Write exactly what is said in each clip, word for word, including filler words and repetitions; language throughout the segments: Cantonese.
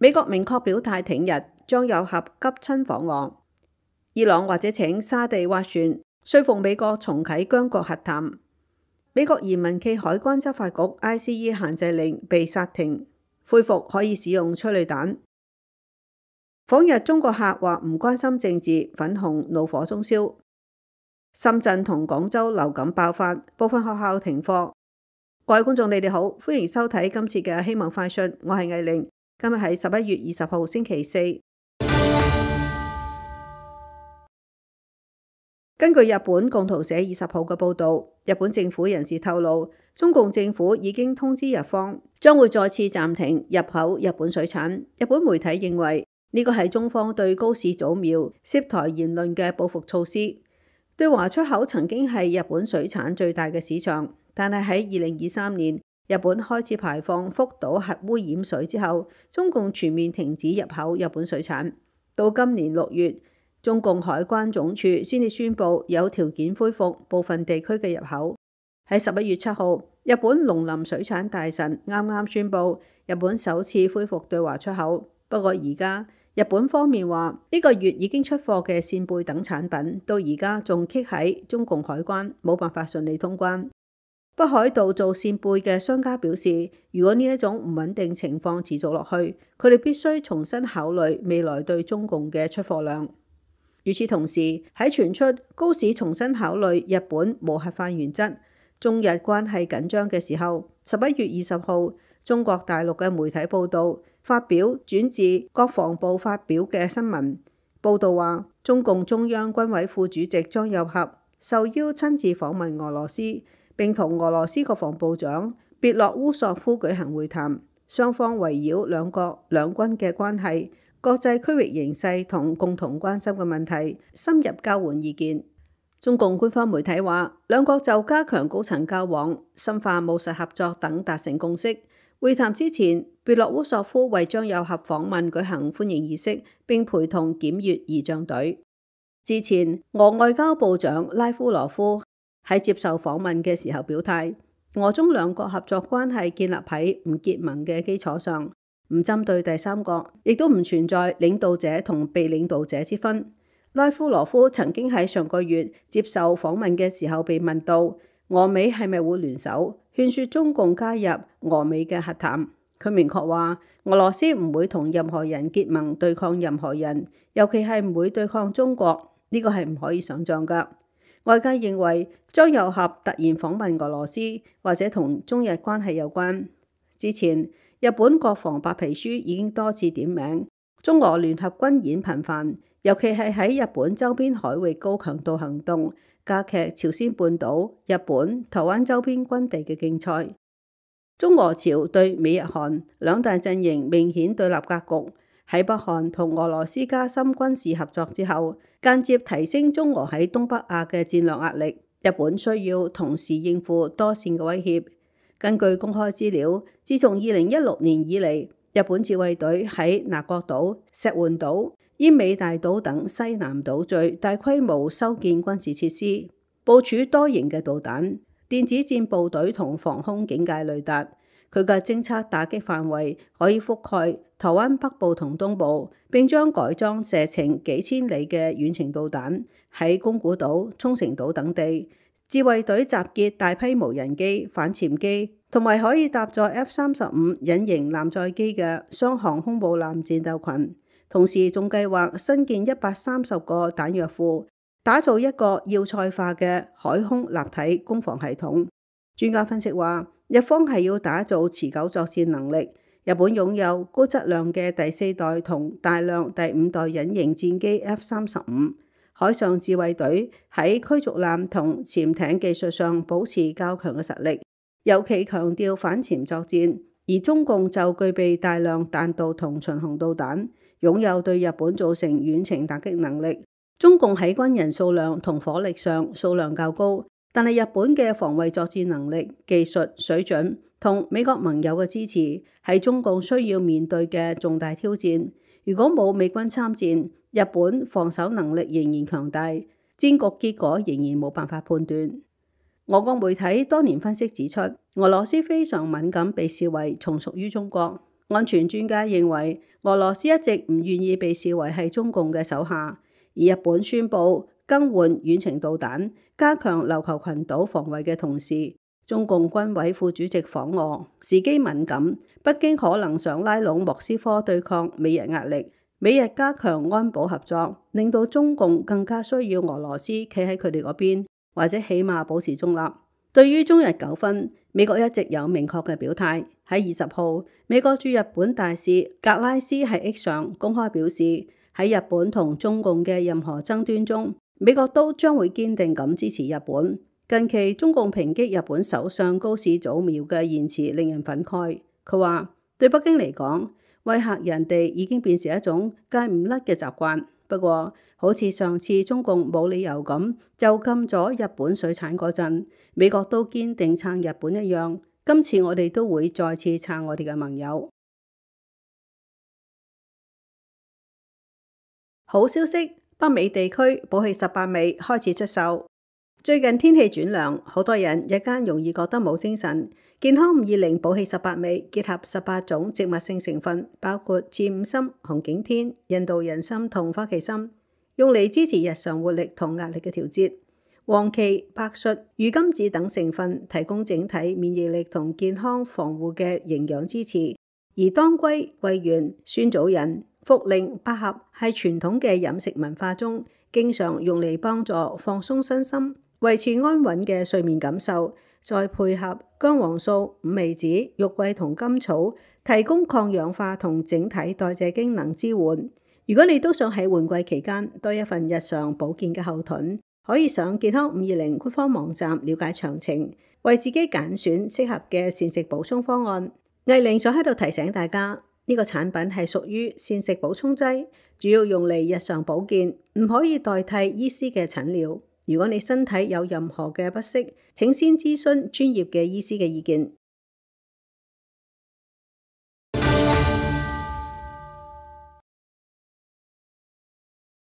美國明確表態挺日，張又俠急親訪華。伊朗或者請沙地斡旋，說服美國重啟疆國核談。美國移民暨海關執法局 I C E 限制令被剎停，恢復可以使用催淚彈。訪日中國客話唔關心政治，粉紅怒火中燒。深圳同廣州流感爆發，部分學校停課。各位觀眾，你哋好，歡迎收睇今次嘅希望快訊，我係藝玲。今日係十一月二十號星期四。根據日本共同社二十號嘅報導，日本政府人士透露，中共政府已經通知日方，將會再次暫停入口日本水產。日本媒體認為呢個係中方對高市早苗涉台言論嘅報復措施。對華出口曾經係日本水產最大嘅市場，但係喺二零二三年日本開始排放福島核污染水之後，中共全面停止入口日本水產。到今年六月，中共海關總署先至宣布有條件恢復部分地區嘅入口。喺十一月七號，日本農林水產大臣啱啱宣布日本首次恢復對華出口。不過而家日本方面話呢個月已經出貨嘅扇貝等產品到而家仲棘喺中共海關，冇辦法順利通關。北海道做扇貝嘅商家表示，如果呢一種唔穩定情況持續落去，佢哋必須重新考慮未來對中共嘅出貨量。與此同時，喺傳出高市重新考慮日本無核化原則，中日關係緊張嘅時候，十一月二十號，中國大陸嘅媒體報道發表轉自國防部發表嘅新聞，報道話中共中央軍委副主席張又俠受邀親自訪問俄羅斯，並同俄羅斯國防部長別洛烏索夫舉行會談，雙方圍繞兩國兩軍嘅關係、國際區域形勢同共同關心嘅問題深入交換意見。中共官方媒體話，兩國就加強高層交往、深化務實合作等達成共識。會談之前，別洛烏索夫為張又俠訪問舉行歡迎儀式，並陪同檢閱儀仗隊。之前，俄外交部長拉夫羅夫喺接受訪問嘅時候表態，俄中兩國合作關係建立喺唔結盟嘅基礎上，唔針對第三國，亦都唔存在領導者同被領導者之分。拉夫羅夫曾經喺上個月接受訪問嘅時候被問到，俄美係咪會聯手勸說中共加入俄美嘅核談？佢明確話，俄羅斯唔會同任何人結盟對抗任何人，尤其係唔會對抗中國，呢個係唔可以想象㗎。外界認為張又俠突然訪問俄羅斯，或者同中日關係有關。之前日本國防白皮書已經多次點名中俄聯合軍演頻繁，尤其係喺日本周邊海域高強度行動，加劇朝鮮半島、日本、台灣周邊軍地嘅競賽。中俄朝對美日韓兩大陣營明顯對立格局，喺北韓同俄羅斯加深軍事合作之後，間接提升中俄喺東北亞嘅戰略壓力。日本需要同時應付多線嘅威脅。根據公開資料，自從二零一六年以嚟，日本自衛隊喺拿國島、石垣島、奄美大島等西南島嶼大規模修建軍事設施，部署多型嘅導彈、電子戰部隊同防空警戒雷達。佢嘅偵測打擊範圍可以覆蓋台灣北部同東部，並將改裝射程幾千里嘅遠程導彈喺宮古島、沖繩島等地。自衛隊集結大批無人機、反潛機，同埋可以搭載 F 三十五隱形艦載機嘅雙航空母艦戰鬥群。同時仲計劃新建一百三十個彈藥庫，打造一個要塞化嘅海空立體攻防系統。專家分析話，日方係要打造持久作戰能力。日本擁有高質量嘅第四代同大量第五代隱形戰機 F 三十五，海上自衛隊喺驅逐艦同潛艇技術上保持較強嘅實力，尤其強調反潛作戰。而中共就具備大量彈道同巡航導彈，擁有對日本造成遠程打擊能力。中共喺軍人數量同火力上數量較高，但係日本嘅防衛作戰能力、技術水準同美國盟友嘅支持係中共需要面對嘅重大挑戰。如果冇美軍參戰，日本防守能力仍然強大，戰局結果仍然冇辦法判斷。俄國媒體多年分析指出，俄羅斯非常敏感被視為從屬於中國。安全專家認為，俄羅斯一直唔願意被視為係中共嘅手下，而日本宣布更換遠程導彈，加強琉球群島防衛嘅同時，中共軍委副主席訪俄，時機敏感，北京可能想拉攏莫斯科對抗美日壓力，美日加強安保合作，令到中共更加需要俄羅斯企喺佢哋嗰邊，或者起碼保持中立。對於中日糾紛，美國一直有明確嘅表態。喺二十號，美國駐日本大使格拉斯喺 X 上公開表示，喺日本同中共嘅任何爭端中，美國都將會堅定咁支持日本。近期中共抨擊日本首相高市早苗嘅言辭令人憤慨。佢話對北京嚟講，威嚇人哋已經變成一種戒唔甩嘅習慣。不過，好似上次中共冇理由咁就禁咗日本水產嗰陣，美國都堅定撐日本一樣，今次我哋都會再次撐我哋嘅盟友。好消息，北美地區寶氣十八味開始出售。最近天氣轉涼，好多人日間容易覺得冇精神。健康五二零寶氣十八味結合十八種植物性成分，包括刺五參、紅景天、印度人參同花旗參，用嚟支持日常活力同壓力嘅調節。黃芪、柏術、魚甘子等成分提供整體免疫力同健康防護嘅營養支持。而當歸、桂圓、酸棗仁、茯苓、百合係傳統嘅飲食文化中，經常用嚟幫助放鬆身心、維持安穩嘅睡眠感受。再配合薑黃素、五味子、肉桂同甘草，提供抗氧化同整體代謝機能支援。如果你都想喺換季期間多一份日常保健嘅後盾，可以上健康五二零官方網站了解詳情，為自己揀選適合嘅膳食補充方案。藝玲想喺度提醒大家，呢個產品係屬於膳食補充劑，主要用嚟日常保健，唔可以代替醫師嘅診療。如果你身體有任何嘅不適，請先諮詢專業嘅醫師嘅意見。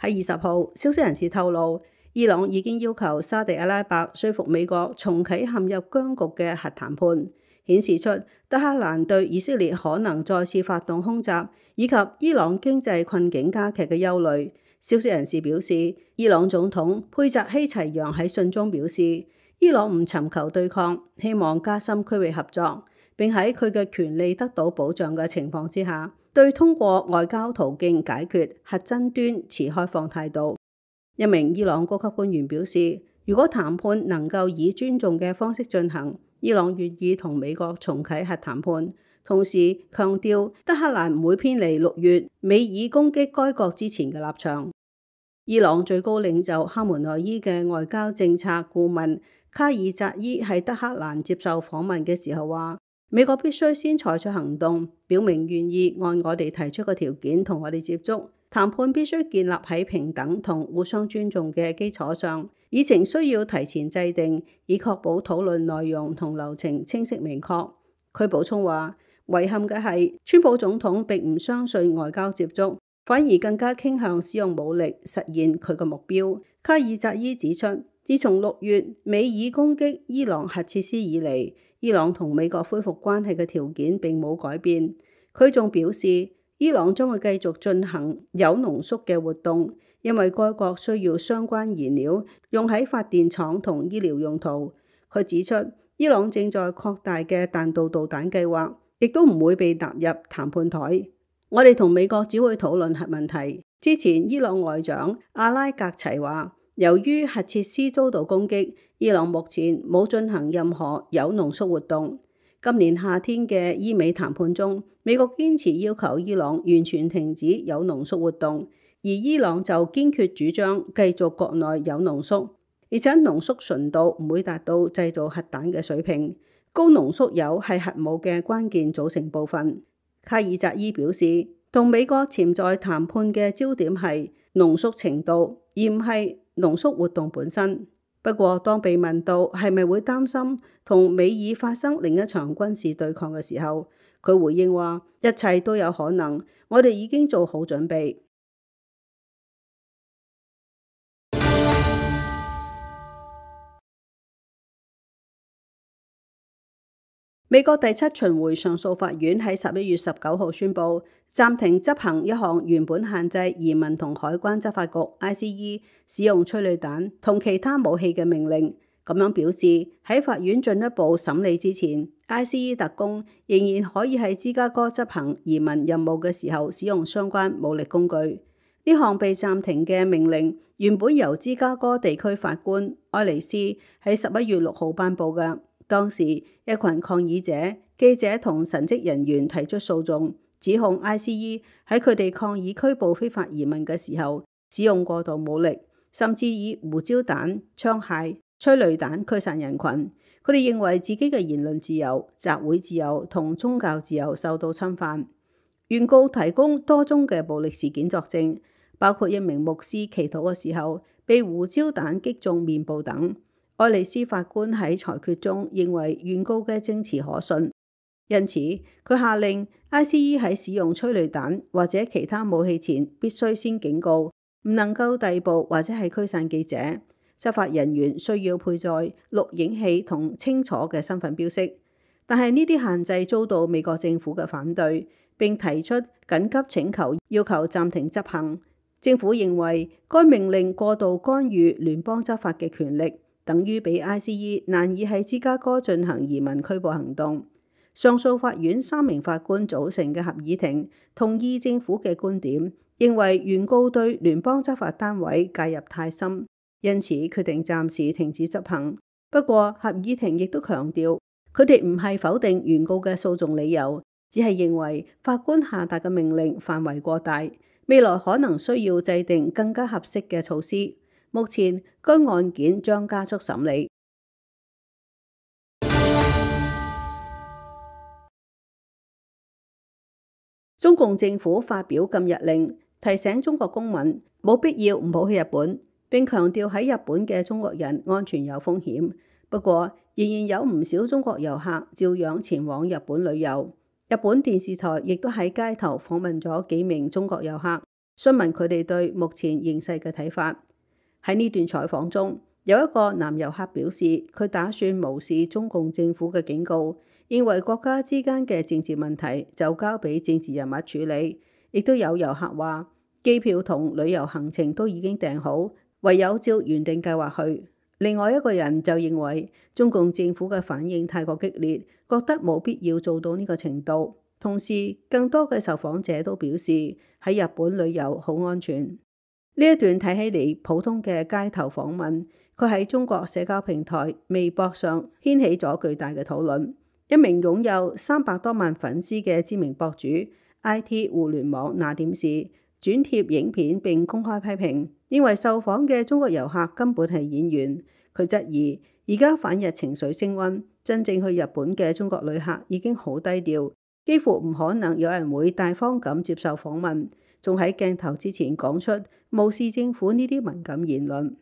喺二十號，消息人士透露，伊朗已經要求沙地阿拉伯說服美國重啟陷入僵局嘅核談判，顯示出德黑蘭對以色列可能再次發動空襲，以及伊朗經濟困境加劇嘅憂慮。消息人士表示，伊朗總統佩澤希齊揚喺信中表示，伊朗唔尋求對抗，希望加深區域合作，並喺佢嘅權利得到保障嘅情況之下，對通過外交途徑解決核爭端持開放態度。一名伊朗高級官員表示，如果談判能夠以尊重嘅方式進行，伊朗願意同美國重啟核談判。同時強調，德黑蘭唔會偏離六月美以攻擊該國之前嘅立場。伊朗最高領袖哈梅內伊嘅外交政策顧問卡爾扎伊喺德黑蘭接受訪問嘅時候話，美國必須先採取行動，表明願意按我哋提出嘅條件同我哋接觸。談判必須建立喺平等同互相尊重嘅基礎上，議程需要提前制定，以確保討論內容同流程清晰明確。佢補充話，遺憾嘅係，川普總統並唔相信外交接觸，反而更加傾向使用武力實現佢嘅目標。卡爾扎伊指出，自從六月美以攻擊伊朗核設施以嚟，伊朗同美國恢復關係嘅條件並冇改變。佢仲表示，伊朗將會繼續進行鈾濃縮嘅活動，因為該國需要相關燃料用喺發電廠同醫療用途。佢指出，伊朗正在擴大嘅彈道導彈計劃，亦都唔會被納入談判台。我哋同美國只會討論核問題。之前伊朗外長阿拉格齊話，由於核設施遭到攻擊，伊朗目前冇進行任何鈾濃縮活動。今年夏天嘅伊美談判中，美國堅持要求伊朗完全停止鈾濃縮活動，而伊朗就堅決主張繼續國內鈾濃縮，而且濃縮純度唔會達到製造核彈嘅水平。高濃縮鈾係核武嘅關鍵組成部分。卡爾扎伊表示，同美國潛在談判嘅焦點係濃縮程度，而唔係濃縮活動本身。不過，當被問到係咪會擔心同美以發生另一場軍事對抗嘅時候，佢回應話：一切都有可能，我哋已經做好準備。美國第七巡迴上訴法院喺十一月十九號宣布暫停執行一項原本限制移民同海關執法局 I C E 使用催淚彈同其他武器嘅命令。咁樣表示喺法院進一步審理之前 ，I C E 特工仍然可以喺芝加哥執行移民任務嘅時候使用相關武力工具。呢項被暫停嘅命令原本由芝加哥地區法官埃尼斯喺十一月六號頒布嘅。當時一群抗議者、記者同神職人員提出訴訟，指控 I C E 喺佢哋抗議拘捕非法移民嘅時候使用過度武力，甚至以胡椒彈、槍械、催淚彈驅散人群。佢哋認為自己嘅言論自由、集會自由同宗教自由受到侵犯。原告提供多宗嘅暴力事件作證，包括一名牧師祈禱嘅時候被胡椒彈擊中面部等。愛麗絲法官喺裁決中認為原告嘅證詞可信，因此佢下令 I C E 喺使用催淚彈或者其他武器前必須先警告，唔能夠逮捕或者係驅散記者。執法人員需要佩載錄影器同清楚嘅身份標識。但係呢啲限制遭到美國政府嘅反對，並提出緊急請求，要求暫停執行。政府認為該命令過度干預聯邦執法嘅權力，等於俾 I C E 難以喺芝加哥進行移民拘捕行動。上訴法院三名法官組成嘅合議庭同意政府嘅觀點，認為原告對聯邦執法單位介入太深，因此決定暫時停止執行。不過合議庭亦都強調，佢哋唔係否定原告嘅訴訟理由，只係認為法官下達嘅命令範圍過大，未來可能需要制定更加合適嘅措施。目前該案件將加速審理。中共政府發表禁日令，提醒中國公民冇必要唔好去日本，並強調喺日本嘅中國人安全有風險。不過仍然有唔少中國遊客照樣前往日本旅遊。日本電視台亦都喺街頭訪問咗幾名中國遊客，詢問佢哋對目前形勢嘅睇法。喺呢段採訪中，有一個男遊客表示，佢打算無視中共政府嘅警告，認為國家之間嘅政治問題就交俾政治人物處理。亦都有遊客話，機票同旅遊行程都已經訂好，唯有照原定計劃去。另外一個人就認為中共政府嘅反應太過激烈，覺得冇必要做到呢個程度。同時，更多嘅受訪者都表示喺日本旅遊好安全。呢一段睇起嚟普通嘅街頭訪問，佢喺中國社交平台微博上掀起咗巨大嘅討論。一名擁有三百多萬粉絲嘅知名博主 I T 互聯網那點事轉貼影片並公開批評，認為受訪嘅中國遊客根本係演員。佢質疑而家反日情緒升溫，真正去日本嘅中國旅客已經好低調，幾乎唔可能有人會大方咁接受訪問，仲喺鏡頭之前講出無視政府呢啲敏感言論。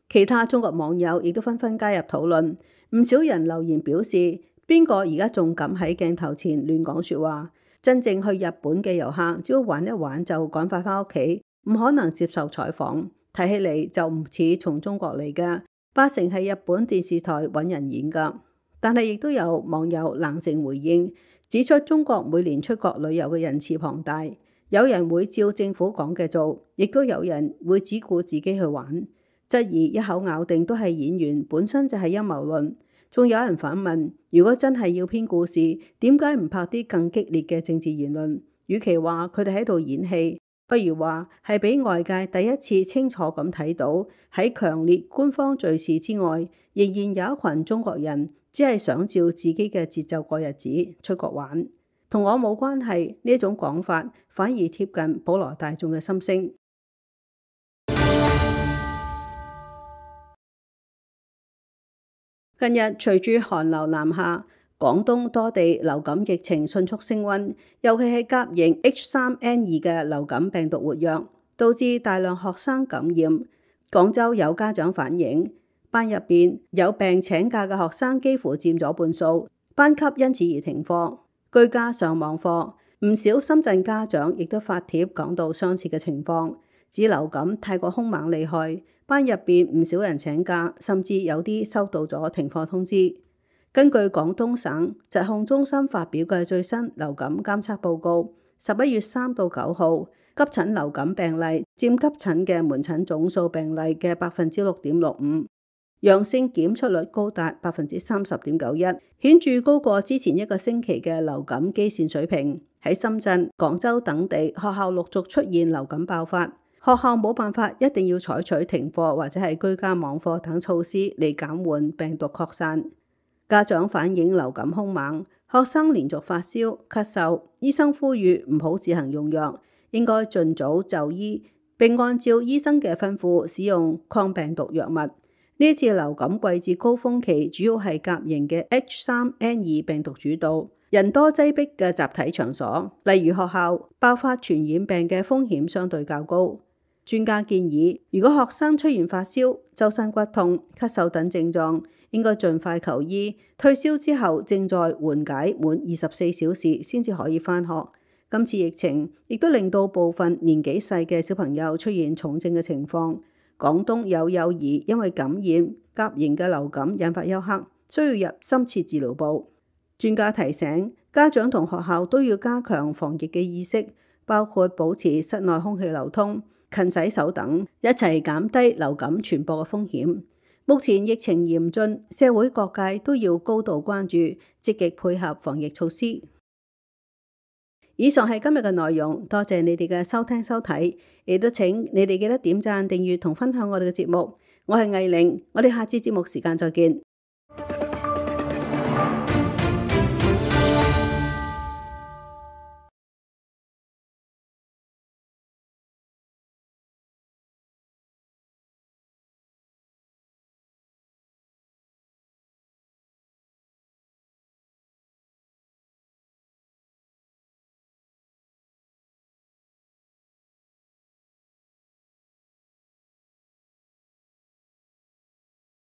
其他中國網友亦都紛紛加入討論，唔少人留言表示，邊個而家仲敢喺鏡頭前亂講說話？真正去日本嘅遊客只要玩一玩就趕快翻屋企，唔可能接受採訪。睇起嚟就唔似從中國嚟嘅，八成係日本電視台揾人演噶。但係亦都有網友冷靜回應，指出中國每年出國旅遊嘅人次龐大，有人會照政府講嘅做，亦都有人會只顧自己去玩。質疑一口咬定都係演員，本身就係陰謀論。仲有人反問，如果真係要編故事，點解唔拍啲更激烈嘅政治言論？與其話佢哋喺度演戲，不如話係俾外界第一次清楚咁睇到，喺強烈官方敘事之外，仍然有一群中國人只係想照自己嘅節奏過日子，出國玩，同我冇關係。呢種講法反而貼近普羅大眾嘅心聲。近日隨住寒流南下，廣東多地流感疫情迅速升溫，尤其係甲型 H 三 N 二嘅流感病毒活躍，導致大量學生感染。廣州有家長反映，班入邊有病請假嘅學生幾乎佔咗半數，班級因此而停課，居家上網課。唔少深圳家長亦都發帖講到相似嘅情況，指流感太過兇猛厲害，班入邊唔少人請假，甚至有啲收到咗停課通知。根據廣東省疾控中心發表嘅最新流感監測報告，十一月三到九號，急診流感病例佔急診嘅門診總數病例嘅百分之六點六五，陽性檢出率高達百分之三十點九一，顯著高過之前一個星期嘅流感基線水平。喺深圳、廣州等地，學校陸續出現流感爆發，學校冇辦法，一定要採取停課或者係居家網課等措施嚟減緩病毒擴散。家長反映流感兇猛，學生連續發燒、咳嗽，醫生呼籲唔好自行用藥，應該盡早就醫，並按照醫生嘅吩咐使用抗病毒藥物。呢一次流感季節高峰期主要係甲型嘅 H 三 N 二病毒主導，人多擠迫嘅集體場所，例如學校，爆發傳染病嘅風險相對較高。專家建議，如果學生出現發燒、周身骨痛、咳嗽等症狀，應該盡快求醫，退燒之後症狀緩解滿二十四小時先至可以返學。今次疫情亦都令到部分年紀細嘅小朋友出現重症嘅情況。廣東有幼兒因為感染甲型嘅流感引發休克，需要入深切治療部。專家提醒，家長同學校都要加強防疫嘅意識，包括保持室內空氣流通、勤洗手等，一齊減低流感傳播嘅風險。目前疫情嚴峻，社會各界都要高度關注，積極配合防疫措施。以上係今日嘅內容，多謝你哋嘅收聽收睇，亦都請你哋記得點讚、訂閱同分享我哋嘅節目。我係藝玲，我哋下次節目時間再見。